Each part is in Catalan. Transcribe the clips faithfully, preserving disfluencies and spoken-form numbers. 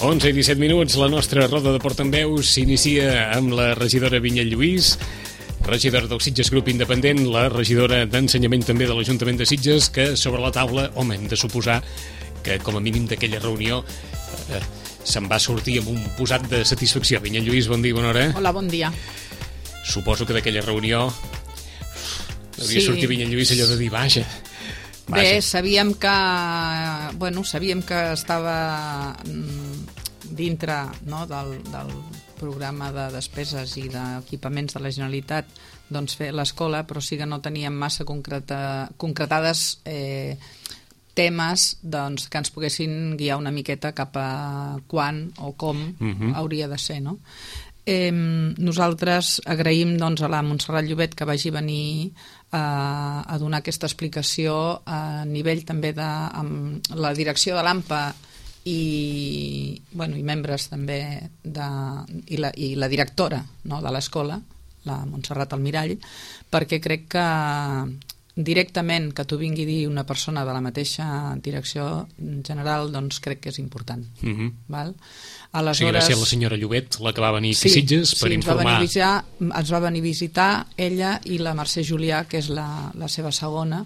onze i disset minuts, la nostra roda de portaveus s'inicia amb la regidora Vinyet Lluís, regidora del Sitges Grup Independent, la regidora d'Ensenyament també de l'Ajuntament de Sitges, que sobre la taula, home, hem de suposar que com a mínim d'aquella reunió eh, se'n va sortir amb un posat de satisfacció. Vinyet Lluís, bon dia, bona hora. Hola, bon dia. Suposo que d'aquella reunió hauria Sí. sortit Vinyet Lluís allò de dir, vaja, vaja. Bé, sabíem que, bueno, sabíem que estava mm, dintre, no, del, del programa de despeses i d'equipaments de la Generalitat, doncs fer l'escola, però sí que no teníem massa concreta, concretades eh, temes doncs, que ens poguessin guiar una miqueta cap a quan o com Mhm. hauria de ser, no? Eh, nosaltres agraïm doncs, a la Montserrat Llobet que vagi venir a, a donar aquesta explicació a nivell també de amb la direcció de l'AMPA i, bueno, i membres també de, i, la, i la directora, no, de l'escola, la Montserrat Almirall, perquè crec que directament que t'ho vingui a dir una persona de la mateixa direcció general, doncs crec que és important. Mhm. Val? O sigui, va ser la senyora Llobet la que va venir aquí a Sí, Sitges per sí, ens va informar. venir a visitar, ens va venir a visitar ella i la Mercè Julià, que és la, la seva segona,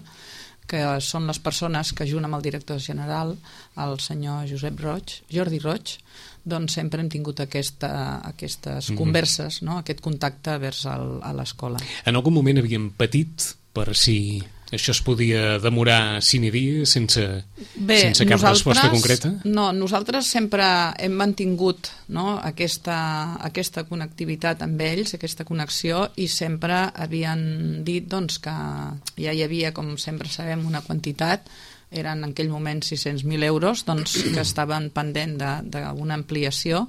que són les persones que, junt amb el director general, el senyor Josep Roig, Jordi Roig, doncs sempre hem tingut aquesta, aquestes Mhm. converses, no? Aquest contacte vers el, a l'escola. En algun moment havíem patit per si això es podia demorar sine die sense, Bé, sense cap resposta concreta? No, nosaltres sempre hem mantingut, no, aquesta, aquesta connectivitat amb ells, aquesta connexió, i sempre havien dit doncs, que ja hi havia, com sempre sabem, una quantitat, eren en aquell moment sis-cents mil euros, doncs, que estaven pendent d'una ampliació.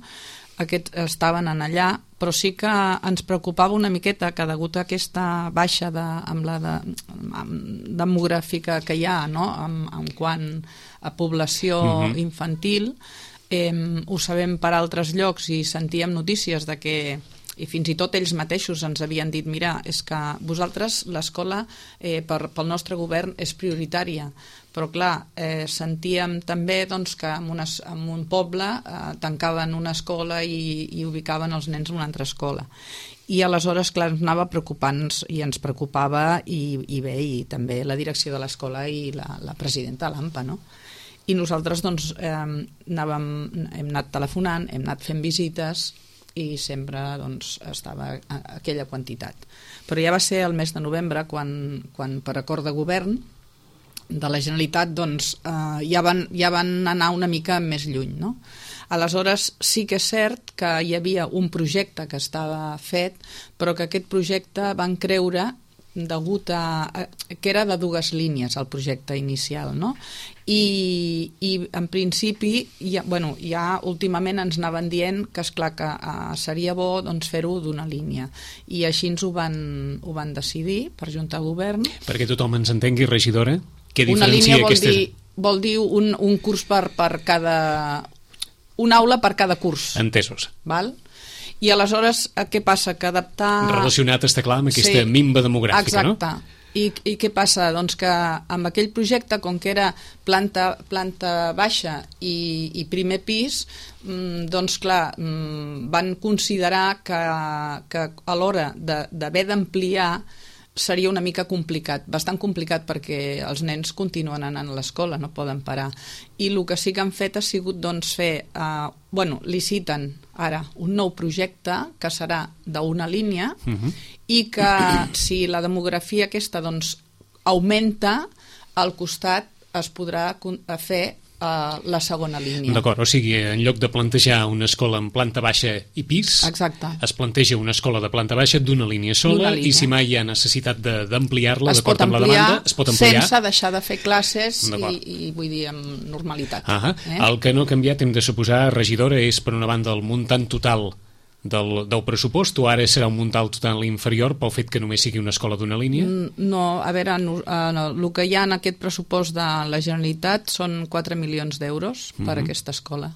Aquests estaven en allà, però sí que ens preocupava una miqueta que degut a aquesta baixa de, amb la de, amb demogràfica que hi ha, no? en, en quant a població Mhm. infantil, eh, ho sabem per altres llocs i sentíem notícies de que, i fins i tot ells mateixos ens havien dit, mira, és que vosaltres l'escola eh, per, pel nostre govern és prioritària, però clar, eh, sentíem també doncs, que en, una, en un poble eh, tancaven una escola i, i ubicaven els nens en una altra escola. I aleshores, clar, ens anava preocupant i ens preocupava i, i bé, i també la direcció de l'escola i la, la presidenta de l'AMPA, no? I nosaltres doncs, eh, anàvem, hem anat telefonant, hem anat fent visites i sempre doncs, estava a, a aquella quantitat. Però ja va ser el mes de novembre quan, quan per acord de govern de la Generalitat doncs, eh, ja, van, ja van anar una mica més lluny, no? Aleshores sí que és cert que hi havia un projecte que estava fet, però que aquest projecte van creure degut a, a que era de dues línies el projecte inicial, no? I, i en principi ja, bueno, ja últimament ens anaven dient que esclar que uh, seria bo doncs, fer-ho d'una línia, i així ens ho van, ho van decidir per Junta de Govern. Perquè tothom ens entengui, regidora, què Una diferencia línia vol aquesta... dir, vol dir un, un curs per, per cada... una aula per cada curs. Entesos. Val? I aleshores, eh, què passa? Que adaptar... Relacionat, està clar, amb aquesta Sí, minva demogràfica, exacte. no? I, I què passa? Doncs que amb aquell projecte, com que era planta, planta baixa i, i primer pis, mmm, doncs clar, mmm, van considerar que, que a l'hora d'haver d'ampliar seria una mica complicat, bastant complicat, perquè els nens continuen anant a l'escola, no poden parar. I el que sí que han fet ha sigut doncs, fer, eh, bueno, liciten ara un nou projecte que serà d'una línia, Mhm. i que si la demografia aquesta doncs, augmenta, al costat es podrà con- fer uh, la segona línia. D'acord, o sigui, en lloc de plantejar una escola en planta baixa i pis, Exacte. es planteja una escola de planta baixa d'una línia sola, D'una línia. i si mai hi ha necessitat de- d'ampliar-la, Es pot d'acord amb la ampliar demanda, es pot ampliar. sense deixar de fer classes D'acord. i, i vull dir amb normalitat. Ah, eh? El que no ha canviat, hem de suposar, regidora, és per una banda el muntant total del, del pressupost, o ara serà un muntant total inferior pel fet que només sigui una escola d'una línia? Mm, No, a veure, no, eh, no, el que hi ha en aquest pressupost de la Generalitat són quatre milions d'euros per a Mhm. aquesta escola.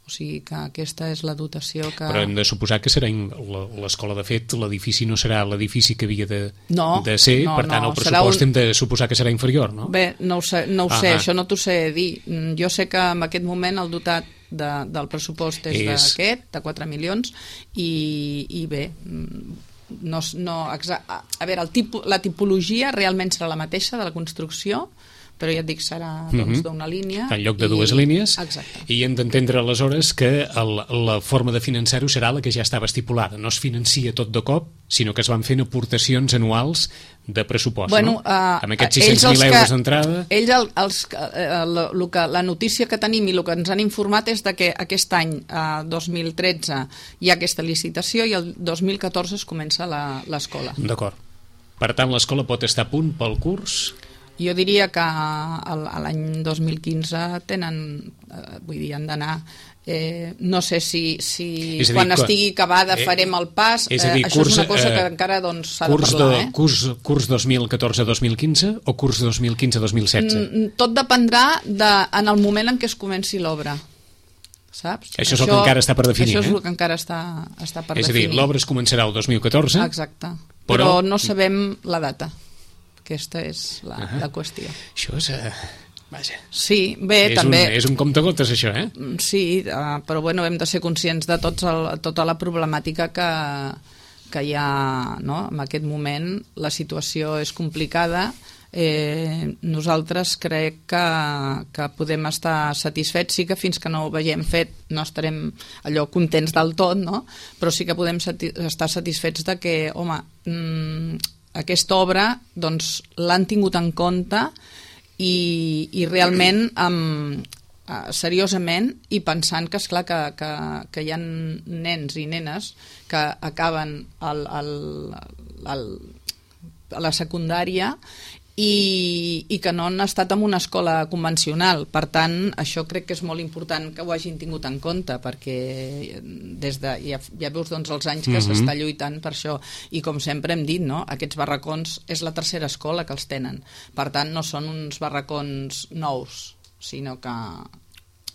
O sigui que aquesta és la dotació que... Però hem de suposar que serà in- la- l'escola, de fet, l'edifici no serà l'edifici que havia de, No, de ser, no, per tant no, el serà pressupost un- hem de suposar que serà inferior, no? Bé, no ho sé, no ho sé Ahà. això no t'ho sé dir. Mm, Jo sé que en aquest moment el dotat de, del pressupost és, és... d'aquest, de quatre milions, i, i bé, no, no, a veure, el tipus, la tipologia realment serà la mateixa de la construcció, però ja et dic, serà doncs, uh-huh. d'una línia. En lloc de dues i... línies. Exacte. I hem d'entendre aleshores que el, la forma de finançar-ho serà la que ja estava estipulada. No es financia tot de cop, sinó que es van fent aportacions anuals de pressupost, bueno, no? Uh, Amb aquests sis-cents mil euros d'entrada. Ells, el, els, uh, la, que, la notícia que tenim i el que ens han informat és de que aquest any, uh, dos mil tretze, hi ha aquesta licitació i el dos mil catorze es comença l'escola. D'acord. Per tant, l'escola pot estar a punt pel curs... Jo diria que l'any dos mil quinze tenen, vull dir, han d'anar, eh, no sé si, si dir, quan estigui acabada eh, farem el pas, eh, dir, això curs, és una cosa que eh, encara doncs, s'ha de parlar. De, eh? curs, curs dos mil catorze dos mil quinze o curs dos mil quinze dos mil setze? Tot dependrà de, en el moment en què es comenci l'obra. Saps? Això és el això, que encara està per definir. Això és eh? el que encara està, està per és definir. És a dir, l'obra es començarà el dos mil catorze. Exacte. Però, però no sabem la data. Aquesta és la, uh -huh. la qüestió. Això és... Uh, vaja. Sí, bé, és també... Un, és un comptagotes, això, eh? Sí, uh, però bueno, hem de ser conscients de tots el, tota la problemàtica que, que hi ha, no? En aquest moment la situació és complicada. Eh, nosaltres crec que, que podem estar satisfets, sí que fins que no ho veiem fet no estarem allò contents del tot, no? Però sí que podem sati estar satisfets de que, home... Mm, aquesta obra doncs, l'han tingut en compte i, i realment um, uh, seriosament i pensant que esclar que, que, que hi ha nens i nenes que acaben el, el, el, a la secundària i, i que no han estat en una escola convencional. Per tant, això crec que és molt important que ho hagin tingut en compte, perquè des de, ja, ja veus doncs, els anys que mm-hmm. s'està lluitant per això. I com sempre hem dit, no? Aquests barracons és la tercera escola que els tenen. Per tant, no són uns barracons nous, sinó que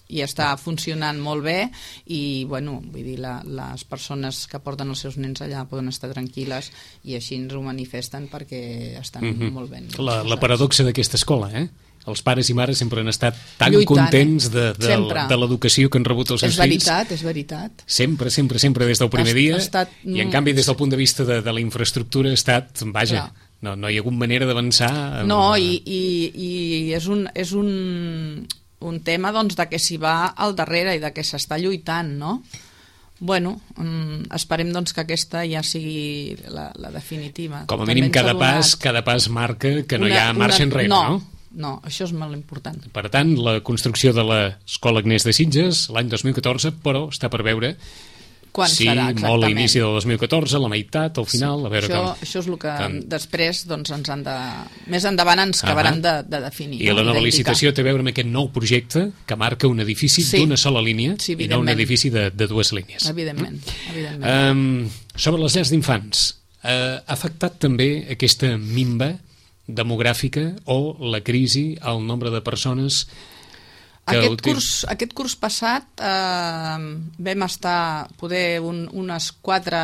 i està funcionant molt bé i bueno, vull dir, la, les persones que porten els seus nens allà poden estar tranquil·les i així ens ho manifesten perquè estan mm-hmm. molt ben. La, la paradoxa d'aquesta escola, eh? Els pares i mares sempre han estat tan lluitant, contents de, de, de l'educació que han rebut els seus és veritat, fills. És veritat, Sempre, sempre, sempre des del primer ha, dia ha estat... i en canvi des del punt de vista de, de la infraestructura ha estat, vaja, no, no hi ha hagut manera d'avançar. Amb... No, i, i, i és un... És un... un tema doncs, de que s'hi va al darrere i de que s'està lluitant, no? Bueno, um, esperem doncs, que aquesta ja sigui la, la definitiva. Com a mínim cada pas, cada pas marca que no una, hi ha marxa una, enrere, no, no? No, això és molt important. Per tant, la construcció de l'Escola Agnès de Sitges l'any dos mil catorze, però està per veure quan sí, serà exactament. Molt a l'inici del dos mil catorze, la meitat, al final, sí, a veure això, com... Això és el que com... després doncs, ens han de... Més endavant ens acabaran uh -huh. de, de definir. I no? la nova licitació té a veure amb aquest nou projecte que marca un edifici sí. d'una sola línia sí, i no un edifici de, de dues línies. Evidentment. evidentment. Um, sobre les llars d'infants, uh, ha afectat també aquesta minva demogràfica o la crisi al nombre de persones... Aquest curs, aquest curs passat eh, vam estar poder un, unes quatre,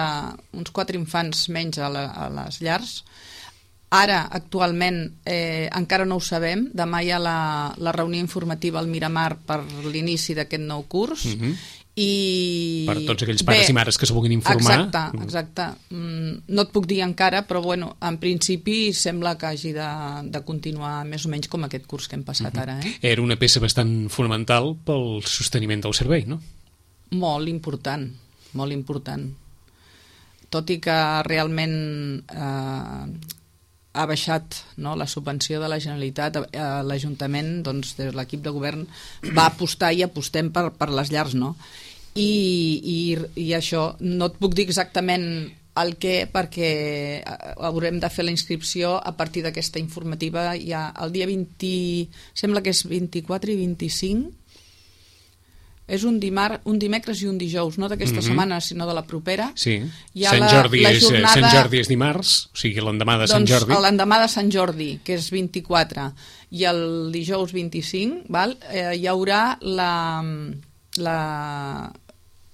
uns quatre infants menys a, la, a les llars. Ara, actualment, eh, encara no ho sabem. Demà hi ha la, la reunió informativa al Miramar per l'inici d'aquest nou curs. Mm-hmm. I... Per tots aquells pares Bé, i mares que es vulguin informar. Exacte, exacte. Mm, no et puc dir encara, però bueno, en principi sembla que hagi de, de continuar més o menys com aquest curs que hem passat mm-hmm. ara. Eh? Era una peça bastant fonamental pel sosteniment del servei, no? Molt important, molt important. Tot i que realment eh, ha baixat, no, la subvenció de la Generalitat, eh, l'Ajuntament, doncs, des de l'equip de govern, va apostar i apostem per, per les llars, no? I, i, i això, no et puc dir exactament el què, perquè haurem de fer la inscripció a partir d'aquesta informativa ja el dia vint, sembla que és vint-i-quatre i vint-i-cinc, és un, dimar, un dimecres i un dijous, no d'aquesta mm-hmm. setmana, sinó de la propera. Sí, Sant, la, Jordi la jornada... és, Sant Jordi és dimarts, o sigui, l'endemà de Sant doncs, Jordi. Doncs l'endemà de Sant Jordi, que és vint-i-quatre, i el dijous vint-i-cinc, val? Eh, hi haurà la, la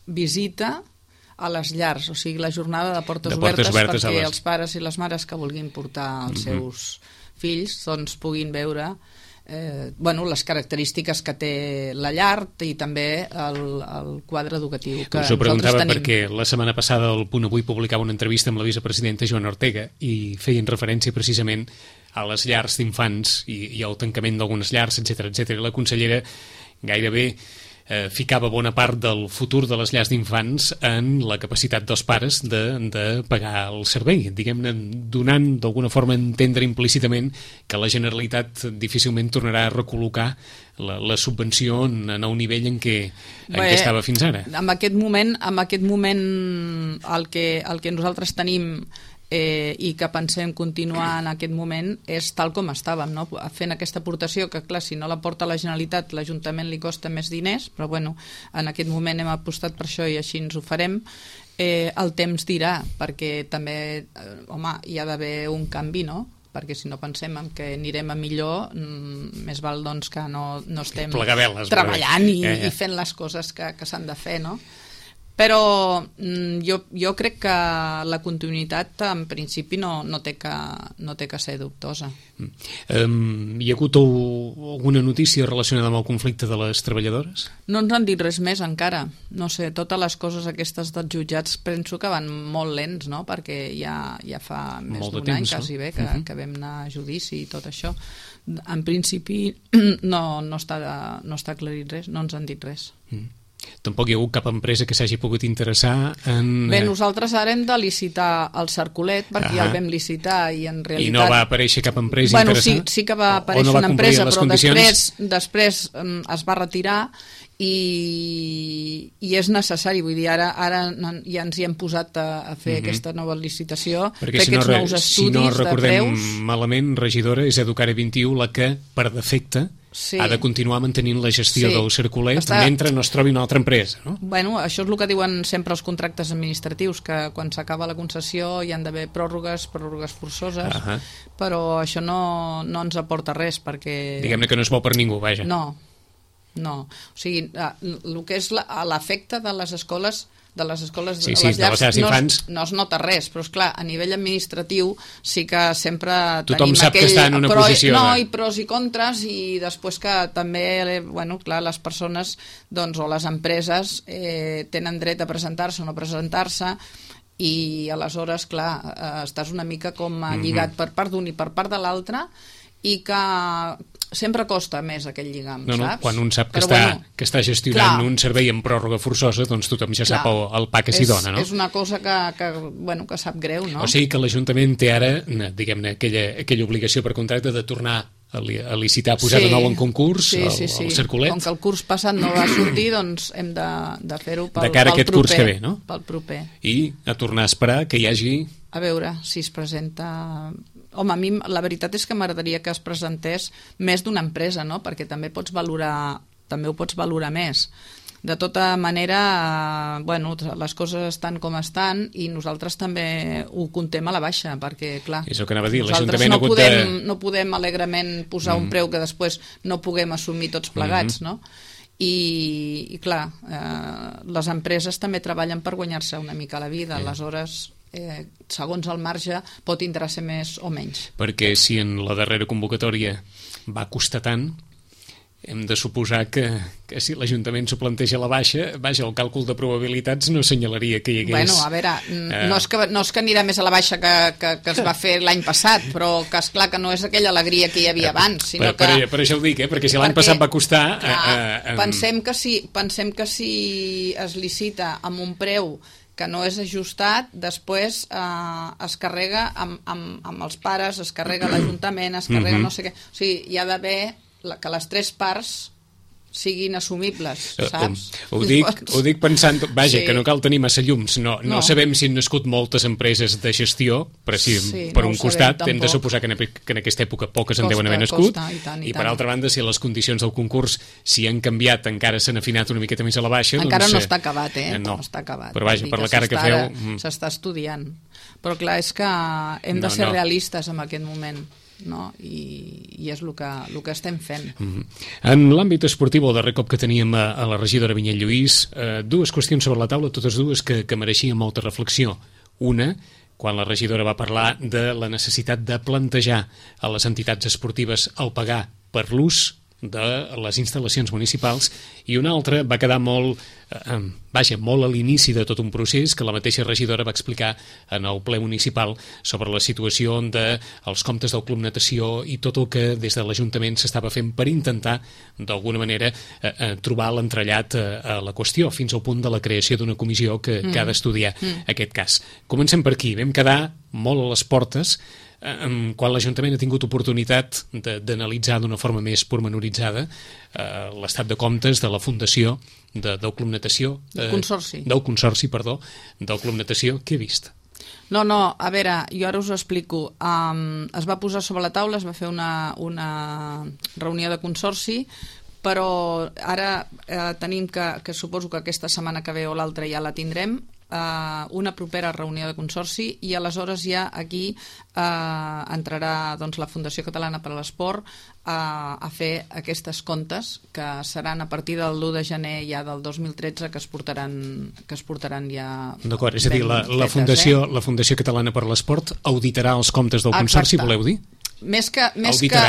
visita a les llars, o sigui, la jornada de portes, de portes obertes, obertes perquè les... els pares i les mares que vulguin portar els mm-hmm. seus fills doncs puguin veure eh, bueno, les característiques que té la llar i també el, el quadre educatiu que us ho preguntava tenim. Perquè la setmana passada el Punt Avui publicava una entrevista amb la vicepresidenta Joana Ortega i feien referència precisament a les llars d'infants i, i al tancament d'algunes llars, etcètera, etcètera. La consellera gairebé eh, ficava bona part del futur de les llars d'infants en la capacitat dels pares de, de pagar el servei, diguem-ne, donant d'alguna forma a entendre implícitament que la Generalitat difícilment tornarà a recol·locar la, la subvenció en, en el nivell en què, en Bé, què estava fins ara. En aquest moment, en aquest moment el que, el que nosaltres tenim Eh, i que pensem continuar en aquest moment és tal com estàvem, no? Fent aquesta aportació que, clar, si no la porta la Generalitat l'Ajuntament li costa més diners, però bueno, en aquest moment hem apostat per això i així ens ho farem. Eh, el temps dirà, perquè també eh, home, hi ha d'haver un canvi, no? Perquè si no pensem en que anirem a millor, mm, més val doncs que no, no estem veles, treballant i, eh, eh. i fent les coses que, que s'han de fer, no? Però mm, jo, jo crec que la continuïtat en principi no, no, té, que, no té que ser dubtosa. Mm. Um, hi ha hagut alguna notícia relacionada amb el conflicte de les treballadores? No ens han dit res més encara. No sé, totes les coses aquestes dels jutjats penso que van molt lents, no? Perquè ja, ja fa més d'un any quasi bé que, uh-huh. que vam anar a judici i tot això. En principi no, no, està, no està aclarit res, no ens han dit res. Mm. Tampoc hi ha hagut cap empresa que s'hagi pogut interessar en... Bé, nosaltres ara hem de licitar el Cercolet perquè uh-huh. ja el vam licitar i en realitat... I no va aparèixer cap empresa bueno, interessada? Sí, sí que va aparèixer no va una empresa, però condicions? després, després um, es va retirar i, i és necessari, vull dir, ara, ara ja ens hi hem posat a, a fer uh-huh. aquesta nova licitació, perquè fer si aquests no, nous estudis si no recordem de preus. Malament, regidora, és Educare vint i u la que, per defecte, sí. ha de continuar mantenint la gestió sí. del Cercolet Està... mentre no es trobi una altra empresa, no? Bueno, això és el que diuen sempre els contractes administratius, que quan s'acaba la concessió hi han d'haver pròrrogues, pròrrogues forçoses, uh-huh. però això no, no ens aporta res, perquè... Diguem-ne que no és bo per ningú, vaja. No, no. O sigui, el que és l'efecte de les escoles de les escoles sí, sí, les llars, de les no, infants... no es nota res, però és clar, a nivell administratiu sí que sempre tothom tenim sap aquell... que està en una però, posició no, de... i pros i contres, i després que també, bueno, clar, les persones doncs, o les empreses eh, tenen dret a presentar-se o no presentar-se, i aleshores, clar, eh, estàs una mica com lligat mm-hmm. per part d'un i per part de l'altre, i que sempre costa més aquell lligam, no, no, saps? Quan un sap que, Però, està, bueno, que està gestionant clar, un servei en pròrroga forçosa, doncs tothom ja clar, sap el, el pa que s'hi dona, no? És una cosa que, que, bueno, que sap greu, no? O sigui que l'Ajuntament té ara, diguem-ne, aquella, aquella obligació per contracte de tornar a, li, a licitar, a posar sí, de nou en concurs sí, el, sí, sí. el Cercolet. Com que el curs passat no va sortir, doncs hem de, de fer-ho pel, de cara pel aquest proper. Curs que ve, no? Pel proper. I a tornar a esperar que hi hagi... A veure si es presenta... Home, a mi la veritat és que m'agradaria que es presentés més d'una empresa, no? Perquè també pots valorar, també ho pots valorar més. De tota manera, bueno, les coses estan com estan i nosaltres també ho contem a la baixa, perquè, clar, és el que anava a dir, nosaltres no podem, de... no podem alegrement posar mm. un preu que després no puguem assumir tots plegats, mm. no? I, i clar, eh, les empreses també treballen per guanyar-se una mica la vida, yeah. aleshores... Eh, segons el marge pot interessar més o menys. Perquè si en la darrera convocatòria va costar tant, hem de suposar que, que si l'Ajuntament s'ho planteja a la baixa, vaja, el càlcul de probabilitats no assenyalaria que hi hagués... Bueno, a veure, eh... no, és que, no és que anirà més a la baixa que, que, que es va fer l'any passat, però que és clar que no és aquella alegria que hi havia abans, sinó per, per, que... per això ho dic, eh? Perquè si l'any passat va costar... Clar, eh, eh, pensem, que si, pensem que si es licita amb un preu que no és ajustat, després eh, es carrega amb, amb, amb els pares, es carrega l'Ajuntament, es carrega mm-hmm. no sé què... O sigui, hi ha d'haver que les tres parts siguin assumibles, saps? Ho, ho, dic, ho dic pensant, vaja, sí. que no cal tenir massa llums, no, no. no sabem si han nascut moltes empreses de gestió, però si sí, per no un costat sabem, hem de suposar que en, que en aquesta època poques costa, en deuen haver nascut, costa, i, tant, i, i per tant. Altra banda, si les condicions del concurs si han canviat, encara s'han afinat una miqueta més a la baixa... Encara doncs, no està acabat, eh? No, no està acabat. Però vaja, per la cara que feu... S'està estudiant. Però clar, és que hem de no, ser no. realistes en aquest moment. No? I, i és el que, el que estem fent. Mm-hmm. En l'àmbit esportiu, el darrer cop que teníem a, a la regidora Vinyet Lluís, eh, dues qüestions sobre la taula, totes dues que, que mereixien molta reflexió. Una, quan la regidora va parlar de la necessitat de plantejar a les entitats esportives el pagar per l'ús de les instal·lacions municipals, i una altra va quedar molt, eh, vaja, molt a l'inici de tot un procés que la mateixa regidora va explicar en el ple municipal sobre la situació dels comptes del Club Natació i tot el que des de l'Ajuntament s'estava fent per intentar, d'alguna manera, eh, eh, trobar l'entrellat eh, a la qüestió, fins al punt de la creació d'una comissió que, mm. que ha d'estudiar mm. aquest cas. Comencem per aquí. Vam quedar molt a les portes eh, quan l'Ajuntament ha tingut oportunitat d'analitzar d'una forma més pormenoritzada eh, l'estat de comptes de la Fundació de, del Club Natació. Eh, del Consorci. Del Consorci, perdó, del Club Natació. Què he vist? No, no, a veure, jo ara us ho explico. Um, es va posar sobre la taula, es va fer una, una reunió de consorci, però ara eh, tenim que, que suposo que aquesta setmana que ve o l'altra ja la tindrem, eh, una propera reunió de consorci, i aleshores ja aquí eh, entrarà doncs, la Fundació Catalana per a l'Esport eh, a fer aquestes comptes que seran a partir del l'u de gener ja del dos mil tretze que es portaran, que es portaran ja. D'acord, és a dir, la, la, Fundació, eh? la Fundació Catalana per a l'Esport auditarà els comptes del Exacte. Consorci, voleu dir? Més que, més que,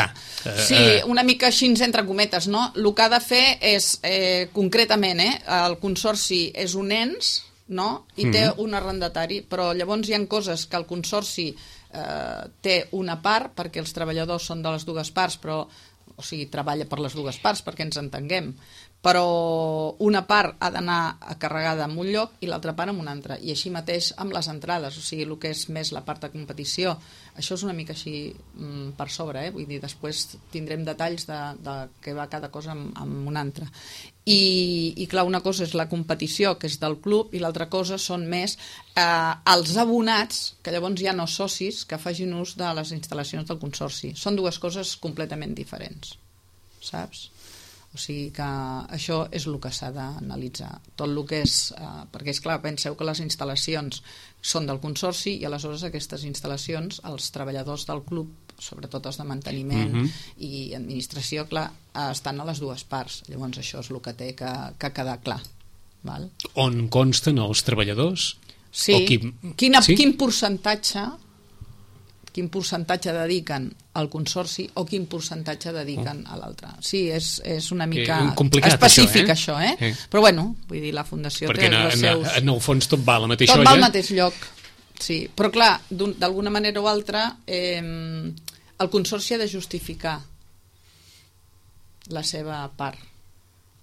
sí, una mica així entre cometes, no? El que ha de fer és, eh, concretament, eh, el Consorci és un ens, no? I té mm-hmm. un arrendatari, però llavors hi ha coses que el Consorci eh, té una part, perquè els treballadors són de les dues parts, però, o sigui, treballa per les dues parts, perquè ens entenguem, però una part ha d'anar carregada en un lloc i l'altra part en un altre, i així mateix amb les entrades, o sigui, el que és més la part de competició. Això és una mica així mm, per sobre, eh? Vull dir, després tindrem detalls de, de què va cada cosa amb, amb un altre. I, i clar, una cosa és la competició, que és del club, i l'altra cosa són més eh, els abonats, que llavors hi ha no socis, que facin ús de les instal·lacions del Consorci. Són dues coses completament diferents, saps? O sigui que això és el que s'ha d'analitzar. Tot el que és... Eh, perquè, és clar, penseu que les instal·lacions són del Consorci i aleshores aquestes instal·lacions, els treballadors del club, sobretot els de manteniment mm-hmm. i administració, clar, eh, estan a les dues parts. Llavors això és el que té que, que quedar clar. Val? On consten els treballadors? Sí. O qui... Quina, sí? Quin percentatge... quin percentatge dediquen al Consorci o quin percentatge dediquen oh. a l'altre. Sí, és, és una mica eh, específic això, eh? això, eh? eh? Però bueno, vull dir, la Fundació perquè té els seus... Perquè en el fons tot va a la mateixa tot olla. va al mateix lloc, sí. Però clar, d'alguna manera o altra, eh, el Consorci ha de justificar la seva part.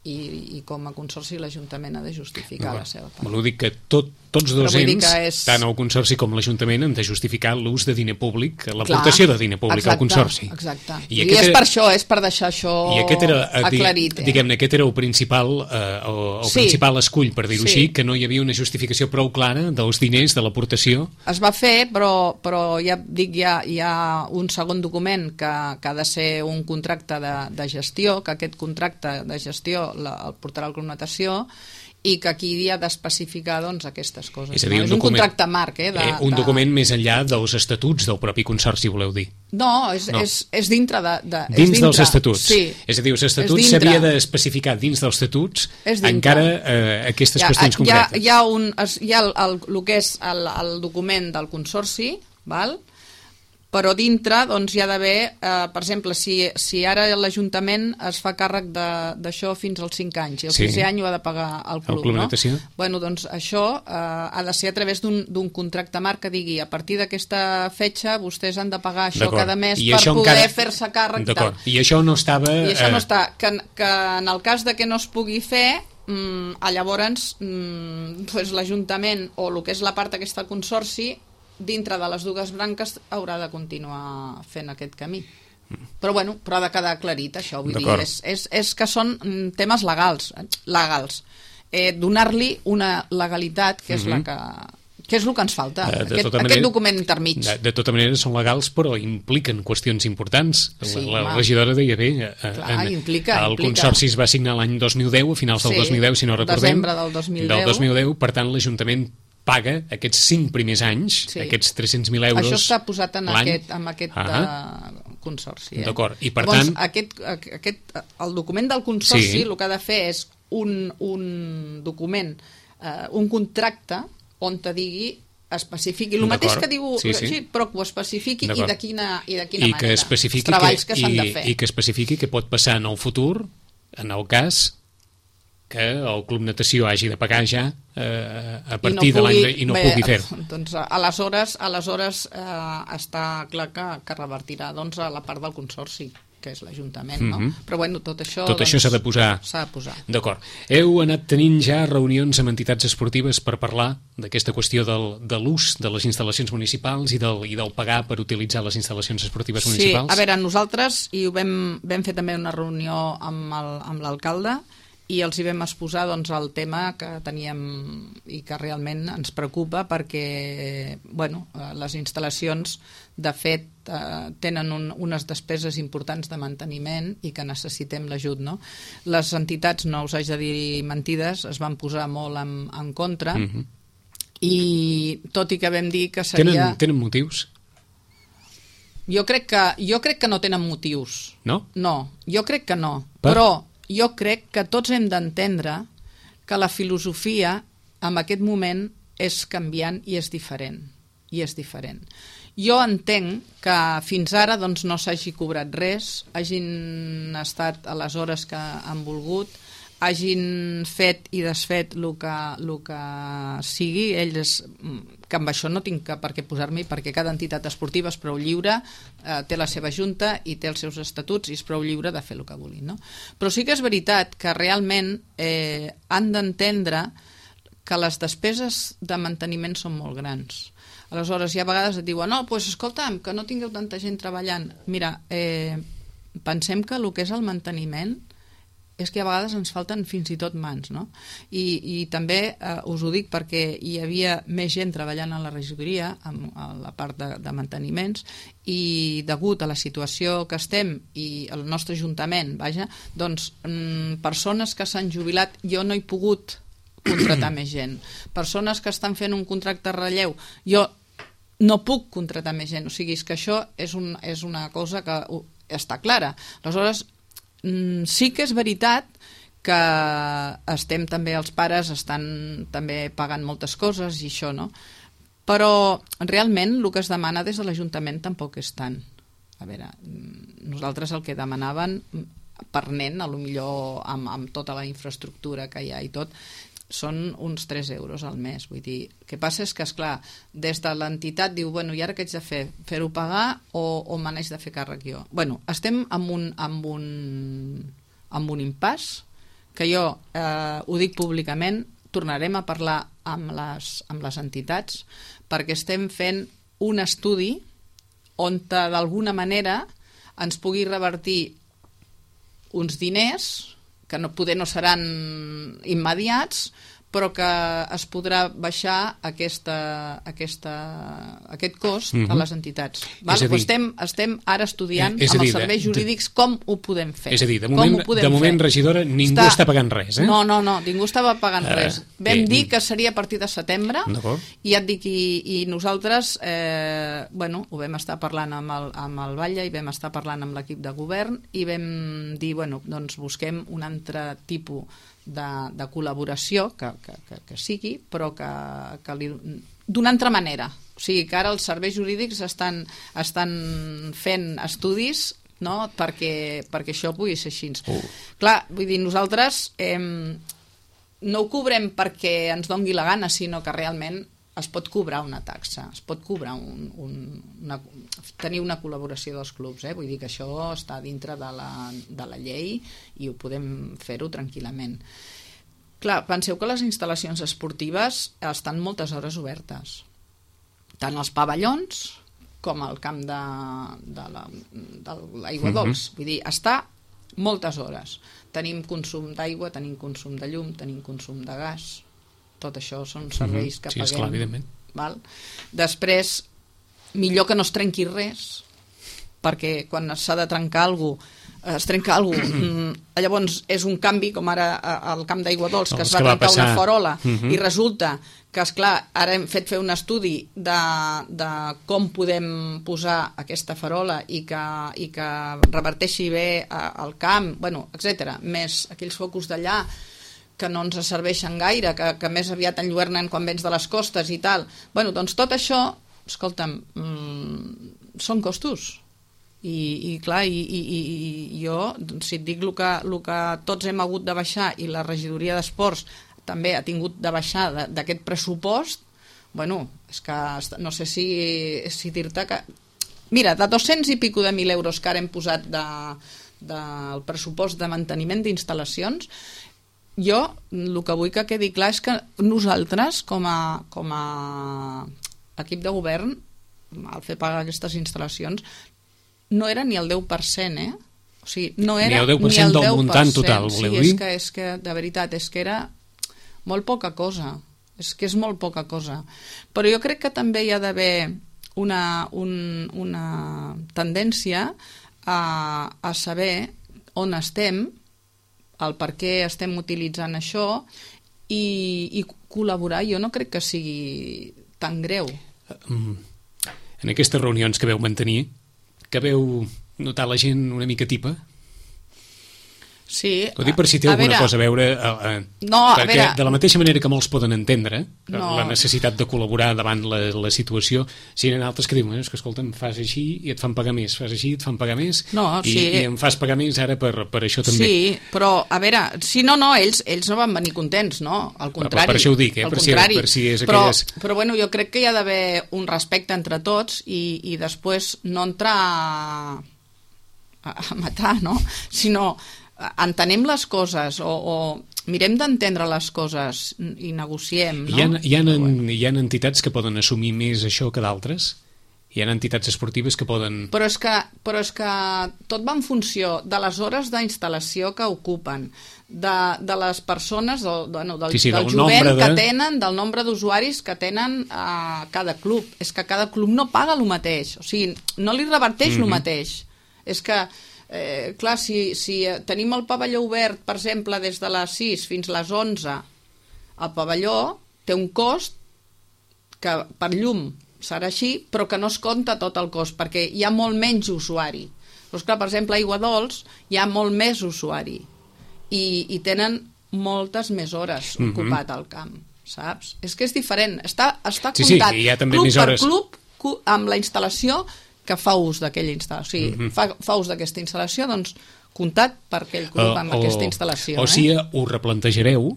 I, i com a Consorci l'Ajuntament ha de justificar no, la seva part. Vol dir que tot, tots dos ens, és... tant el Consorci com l'Ajuntament, han de justificar l'ús de diner públic, l'aportació de diner públic exacte, al Consorci. Exacte. I, I és era... per això, és per deixar això I aquest era, aclarit. Eh? Diguem-ne, aquest era el principal, eh, el, el sí. principal escull, per dir-ho sí. així, que no hi havia una justificació prou clara dels diners, de l'aportació. Es va fer, però, però ja dic, hi ha, hi ha un segon document que, que ha de ser un contracte de, de gestió, que aquest contracte de gestió la, el portarà al Club Natació i que aquí hi ha d'especificar doncs, aquestes coses. És a dir, no? un, és un document, contracte marc. Eh, de, eh, un de... document més enllà dels estatuts del propi Consorci, voleu dir? No, és, no. és, és dintre de... de dins és dintre. dels estatuts. Sí. És a dir, els estatuts s'havia d'especificar dins dels estatuts encara eh, aquestes ja, qüestions concretes. Hi ha, hi ha, un, hi ha el, el, el que és el, el document del Consorci, val? Però dintre doncs, hi ha d'haver, eh, per exemple, si, si ara l'Ajuntament es fa càrrec d'això fins als cinc anys i el sí. sisè any ho ha de pagar el club, el club no? Natació. Bueno, doncs això eh, ha de ser a través d'un contracte marc que digui a partir d'aquesta fetxa vostès han de pagar això cada mes I per poder encara... fer-se càrrec. D'acord, i això no estava... I això no està, que, que en el cas de que no es pugui fer, mm, llavors mm, pues, l'Ajuntament o el que és la part aquesta del Consorci dintre de les dues branques haurà de continuar fent aquest camí. Però bueno, però ha de quedar aclarit això, vull dir, és, és, és que són temes legals, legals. Eh, donar-li una legalitat que és mm-hmm. la que que és el que ens falta, de, de aquest, manera, aquest document intermig. De, de tota manera són legals, però impliquen qüestions importants. Sí, la la regidora deia bé, Clar, en, implica, el implica. Consorci es va signar l'any dos mil deu, a finals del sí, dos mil deu, si no recordem. Desembre del dos mil deu. Del dos mil deu, per tant, l'Ajuntament paga aquests cinc primers anys, sí. aquests tres-cents mil euros. Això està posat en aquest, en aquest uh, Consorci. Eh? D'acord, i per Llavors, tant... Aquest, aquest, el document del Consorci sí. el que ha de fer és un, un document, eh, un contracte on te digui especifiqui, el mateix que diu, sí, sí. però que ho especifiqui i de quina, i de quina I manera, que especifiqui els treballs que, que s'han i, de fer. I que especifiqui què pot passar en el futur, en el cas que el Club Natació hagi de pagar ja eh, a partir no pugui, de l'any i no bé, pugui fer-ho. Doncs aleshores, aleshores eh, està clar que, que revertirà doncs, a la part del consorci, que és l'Ajuntament, no? Mm-hmm. Però bueno, tot això... Tot doncs, això s'ha de posar... S'ha de posar. D'acord. Heu anat tenint ja reunions amb entitats esportives per parlar d'aquesta qüestió del, de l'ús de les instal·lacions municipals i del, i del pagar per utilitzar les instal·lacions esportives municipals? Sí, a veure, nosaltres, i ho vam, vam fer també una reunió amb l'alcalde, i els hi vam exposar doncs, el tema que teníem i que realment ens preocupa perquè bueno, les instal·lacions de fet eh, tenen un, unes despeses importants de manteniment i que necessitem l'ajut, no? Les entitats, no us haig de dir mentides, es van posar molt en, en contra mm-hmm. i tot i que vam dir que seria... Tenen, tenen motius? Jo crec que, jo crec que no tenen motius. No? No, jo crec que no. Per? Però jo crec que tots hem d'entendre que la filosofia en aquest moment és canviant i és diferent. I és diferent. Jo entenc que fins ara doncs, no s'hagi cobrat res, hagin estat a les hores que han volgut, hagin fet i desfet el que, el que sigui, ells, que amb això no tinc que per què posar-m'hi, perquè cada entitat esportiva és prou lliure, eh, té la seva junta i té els seus estatuts i és prou lliure de fer el que vulguin, no? Però sí que és veritat que realment eh, han d'entendre que les despeses de manteniment són molt grans. Aleshores, hi ha vegades et diuen, no, doncs escolta'm, que no tingueu tanta gent treballant. Mira, eh, pensem que el que és el manteniment és que a vegades ens falten fins i tot mans, no? I, i també eh, us ho dic perquè hi havia més gent treballant a la regidoria, en, a la part de, de manteniments, i degut a la situació que estem i el nostre ajuntament, vaja, doncs mm, persones que s'han jubilat, jo no he pogut contractar més gent. Persones que estan fent un contracte de relleu, jo no puc contractar més gent. O sigui, és que això és, un, és una cosa que uh, està clara. Aleshores, sí que és veritat que estem també, els pares estan també pagant moltes coses i això, no? Però realment el que es demana des de l'Ajuntament tampoc és tant. A veure, nosaltres el que demanaven per nen, a lo millor amb, amb tota la infraestructura que hi ha i tot, són uns tres euros al mes. Vull dir, el que passa és que, esclar, des de l'entitat diu, bueno, i ara què haig de fer? Fer-ho pagar o, o me n'haig de fer càrrec jo? Bueno, estem amb un, amb un, amb un impàs que jo eh, ho dic públicament, tornarem a parlar amb les, amb les entitats perquè estem fent un estudi on d'alguna manera ens pugui revertir uns diners que no, poder no seran immediats, però que es podrà baixar aquesta, aquesta, aquest cost uh-huh. a les entitats. Val? Dir, estem, estem ara estudiant eh, amb dir, els serveis de, jurídics com ho podem fer. És a dir, de moment, de moment regidora, ningú està, està pagant res. Eh? No, no, no, ningú estava pagant uh, res. Vam eh, dir que seria a partir de setembre i ja et dic, i, i nosaltres eh, bueno, ho vam estar parlant amb el, amb el Batlle i vam estar parlant amb l'equip de govern i vam dir, bueno, doncs busquem un altre tipus de, de col·laboració que, que, que, que sigui, però que, que li, d'una altra manera. O sigui que ara els serveis jurídics estan, estan fent estudis, no?, perquè, perquè això pugui ser així. Uh. Clar, vull dir, nosaltres eh, no ho cobrem perquè ens dongui la gana, sinó que realment es pot cobrar una taxa, es pot cobrar un, un, una, tenir una col·laboració dels clubs, eh? Vull dir que això està dintre de la, de la llei i ho podem fer-ho tranquil·lament. Clar, penseu que les instal·lacions esportives estan moltes hores obertes, tant els pavellons com el camp de, de la, de l'aigua dolç, uh-huh. vull dir, està moltes hores. Tenim consum d'aigua, tenim consum de llum, tenim consum de gas. Tot això són serveis que sí, paguem. Esclar, evidentment. Val? Després, millor que no es trenqui res, perquè quan s'ha de trencar alguna cosa, es trenca alguna cosa, llavors és un canvi, com ara al camp d'aigua dolç, que no, es va trencar una farola, uh-huh. i resulta que, esclar, ara hem fet fer un estudi de, de com podem posar aquesta farola i que, i que reverteixi bé al camp, bueno, etcètera, més aquells focus d'allà, que no ens serveixen gaire, que, que més aviat enlluernen quan vens de les costes i tal. Bueno, doncs tot això, escolta'm, mmm, són costos. I, i clar, i, i, i jo, si et dic el que, el que tots hem hagut de baixar i la regidoria d'esports també ha tingut de baixar d'aquest pressupost, bueno, és que no sé si, si dir-te que... Mira, de dos-cents i pico de mil euros que ara hem posat de, del pressupost de manteniment d'instal·lacions, jo el que vull que quedi clar és que nosaltres, com a, com a equip de govern, al fer pagar aquestes instal·lacions, no era ni el deu per cent, eh? O sigui, no era ni el deu per cent del muntant total, voleu dir? Sí, és que, és que, de veritat, és que era molt poca cosa. És que és molt poca cosa. Però jo crec que també hi ha d'haver una, un, una tendència a, a saber on estem, el per què estem utilitzant això i, i col·laborar. Jo no crec que sigui tan greu. En aquestes reunions que veu mantenir, que veu notar la gent una mica tipa? Sí. Ho dic per si té alguna veure, cosa a veure... Eh, eh, no, a perquè veure, de la mateixa manera que molts poden entendre no. la necessitat de col·laborar davant la, la situació, si hi ha altres que diuen, eh, és que escolta'm, fas així i et fan pagar més, fas així i et fan pagar més, no, i, sí. i em fas pagar més ara per, per això també. Sí, però, a veure, si no, no, ells, ells no van venir contents, no? Al contrari. Per, per això ho dic, eh? Per si, per si és però, aquelles... Però, bueno, jo crec que hi ha d'haver un respecte entre tots i, i després no entrar a, a matar, no? Sinó entenem les coses o, o mirem d'entendre les coses i negociem, no? Hi ha, hi, ha, hi ha entitats que poden assumir més això que d'altres? Hi ha entitats esportives que poden... Però és que, però és que tot va en funció de les hores d'instal·lació que ocupen, de, de les persones, del, bueno, del, sí, sí, del, del jovent de... que tenen, del nombre d'usuaris que tenen a cada club. És que cada club no paga el mateix, o sigui, no li reverteix mm-hmm. el mateix. És que... Eh, clar, si, si tenim el pavelló obert, per exemple, des de les sis fins a les onze, el pavelló té un cost que per llum serà així, però que no es compta tot el cost, perquè hi ha molt menys usuari. Doncs clar, per exemple, a Aigua Dols hi ha molt més usuari i, i tenen moltes més hores mm-hmm. ocupat al camp, saps? És que és diferent, està, està sí, comptat sí, hi ha també club més hores. per club amb la instal·lació que fa ús d'aquella instal·lació, o sigui, mm-hmm. fa, fa ús d'aquesta instal·lació, doncs comptat per aquell club uh, amb o, aquesta instal·lació. O eh? sigui, ho replantejareu,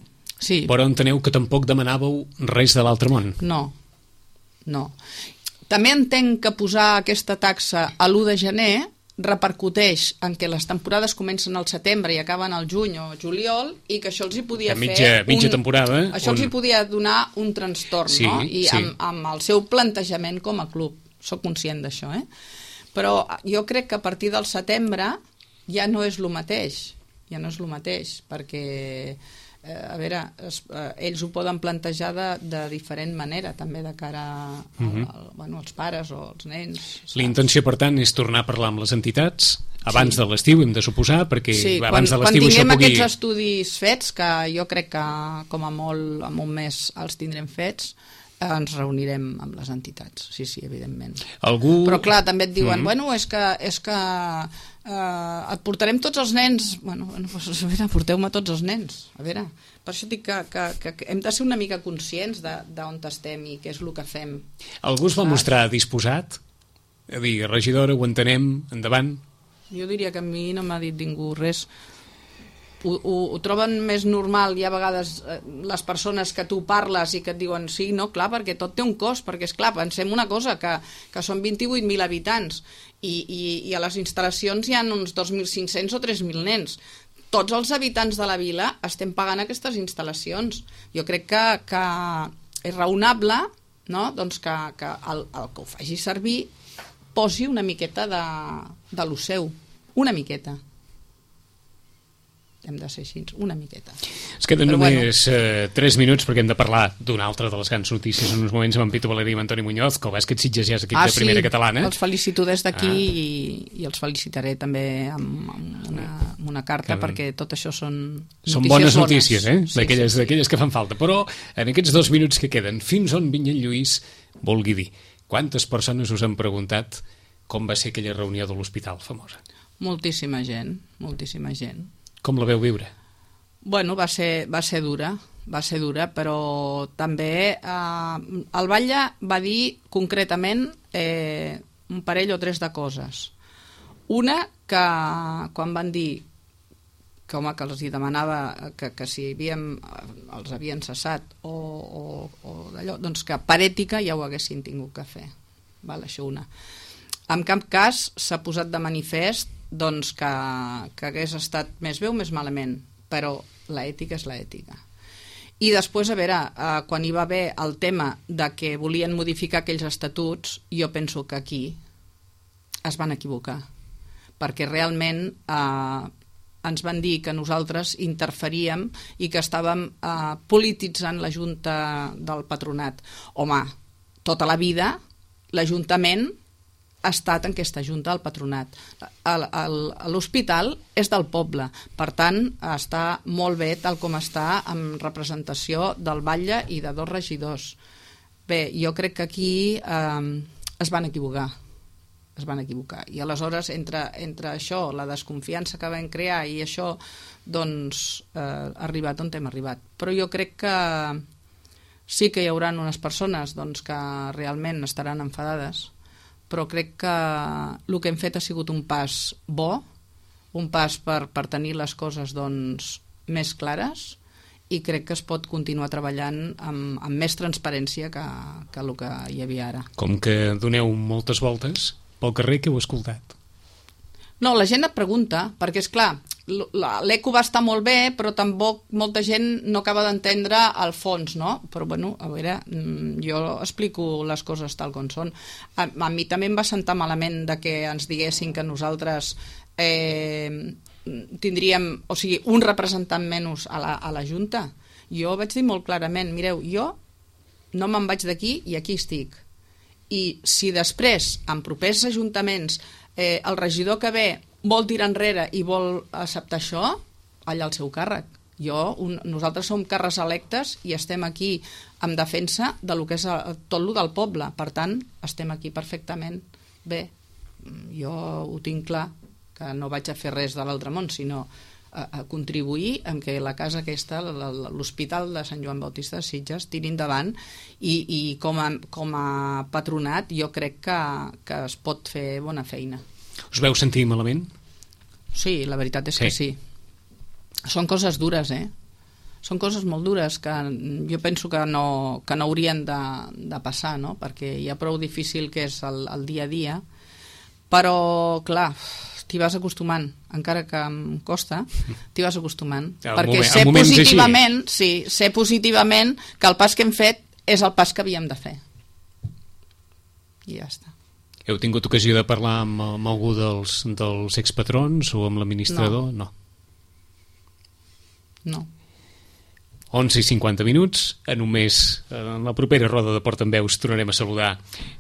sí. però enteneu que tampoc demanàveu res de l'altre món. No, no. També entenc que posar aquesta taxa a l'u de gener repercuteix en que les temporades comencen al setembre i acaben al juny o juliol i que això els hi podia mitja, fer... Mitja un, temporada... Això on... els hi podia donar un trastorn, sí, no? I sí. amb, amb el seu plantejament com a club. Soc conscient d'això, eh? Però jo crec que a partir del setembre ja no és el mateix, ja no és el mateix, perquè, eh, a veure, es, eh, ells ho poden plantejar de, de diferent manera, també de cara a, uh-huh. al, bueno, als pares o als nens. La intenció, per tant, és tornar a parlar amb les entitats abans sí. de l'estiu, hem de suposar, perquè sí, abans quan, de l'estiu això pugui... Quan tinguem aquests estudis fets, que jo crec que com a molt en un mes els tindrem fets, ens reunirem amb les entitats, sí, sí, evidentment. Algú... Però clar, també et diuen, mm-hmm. bueno, és que, és que eh, et portarem tots els nens. Bueno, bueno pues, a veure, porteu-me tots els nens. A veure, per això dic que, que, que, que hem de ser una mica conscients d'on estem i què és el que fem. Algú es va mostrar disposat? A dir, regidora, ho entenem, endavant? Jo diria que a mi no m'ha dit ningú res. Ho, ho, ho troben més normal i a vegades eh, les persones que tu parles i que et diuen sí, no, clar, perquè tot té un cost, perquè és clar, pensem una cosa, que, que són vint-i-vuit mil habitants i, i, i a les instal·lacions hi ha uns dos mil cinc-cents o tres mil nens. Tots els habitants de la vila estem pagant aquestes instal·lacions. Jo crec que, que és raonable, no? Doncs que, que el, el que ho faci servir posi una miqueta de, de lo seu, una miqueta. Hem de ser així, una miqueta. Es queden Però només bueno. eh, tres minuts perquè hem de parlar d'una altra de les grans notícies en uns moments amb en Pitu Valeri i amb Antoni Muñoz, que el bàsquet Sitges ja és equip ah, de primera sí. catalana. Els felicito des d'aquí ah. i, i els felicitaré també amb, amb, una, amb una carta, que perquè tot això són notícies Són bones notícies, bones. eh? D'aquelles sí, sí, sí. que fan falta. Però en aquests dos minuts que queden, fins on Vinyet Lluís vulgui dir, quantes persones us han preguntat com va ser aquella reunió de l'hospital famosa? Moltíssima gent, moltíssima gent. Com la veu viure? Bueno, va ser, va ser dura, va ser dura, però també eh, el Batlle va dir concretament eh, un parell o tres de coses. Una, que quan van dir que, home, que els hi demanava que, que si havíem, els havien cessat o, o, o d'allò, doncs que per ètica ja ho haguessin tingut que fer. Val, això una. En cap cas s'ha posat de manifest doncs, que, que hagués estat més bé o més malament, però l'ètica és l'ètica. I després, a veure, eh, quan hi va haver el tema de que volien modificar aquells estatuts, jo penso que aquí es van equivocar, perquè realment eh, ens van dir que nosaltres interferíem i que estàvem eh, polititzant la Junta del Patronat. Home, tota la vida l'Ajuntament ha estat en aquesta Junta del Patronat. L'hospital és del poble, per tant està molt bé tal com està amb representació del Batlle i de dos regidors. Bé, jo crec que aquí eh, es van equivocar. es van equivocar. I aleshores, entre, entre això, la desconfiança que vam crear i això, doncs, eh, ha arribat on hem arribat. Però jo crec que sí que hi haurà unes persones doncs, que realment estaran enfadades, però crec que el que hem fet ha sigut un pas bo, un pas per, per tenir les coses doncs, més clares, i crec que es pot continuar treballant amb, amb més transparència que, que el que hi havia ara. Com que doneu moltes voltes pel carrer, que heu escoltat? No, la gent et pregunta, perquè és clar, l'eco va estar molt bé, però tampoc molta gent no acaba d'entendre el fons, no? Però bueno, a veure, jo explico les coses tal com són. A, a mi també em va sentar malament de que ens diguessin que nosaltres eh, tindríem, o sigui, un representant menys a la, a la Junta. Jo vaig dir molt clarament, mireu, jo no me'n vaig d'aquí i aquí estic. I si després, en propers ajuntaments, eh, el regidor que ve vol tirar enrere i vol acceptar això, allà al seu càrrec. Jo, un, nosaltres som càrrecs electes i estem aquí en defensa de lo que és el, tot lo del poble. Per tant, estem aquí perfectament bé. Jo ho tinc clar, que no vaig a fer res de l'altre món, sinó a, a contribuir en que la casa aquesta, l'Hospital de Sant Joan Bautista de Sitges, tiri endavant i, i com, a, com a patronat jo crec que, que es pot fer bona feina. Us veu sentir malament? Sí, la veritat és sí. que sí. Són coses dures, eh? Són coses molt dures que jo penso que no, que no haurien de, de passar, no? Perquè hi ha prou difícil que és el, el dia a dia, però, clar, t'hi vas acostumant, encara que em costa, t'hi vas acostumant. Ja, perquè moment, sé positivament, sí, sé positivament que el pas que hem fet és el pas que havíem de fer. I ja està. Heu tingut ocasió de parlar amb, amb algú dels, dels expatrons o amb l'administrador? No. No. onze i cinquanta minuts, en un mes, en la propera roda de Portaveus tornarem a saludar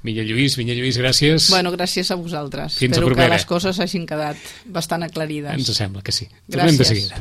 Vinyet Lluís. Vinyet Lluís, gràcies. Bueno, gràcies a vosaltres. Fins Espero a propera. que les coses hagin quedat bastant aclarides. Ens sembla que sí. Tornem de seguida.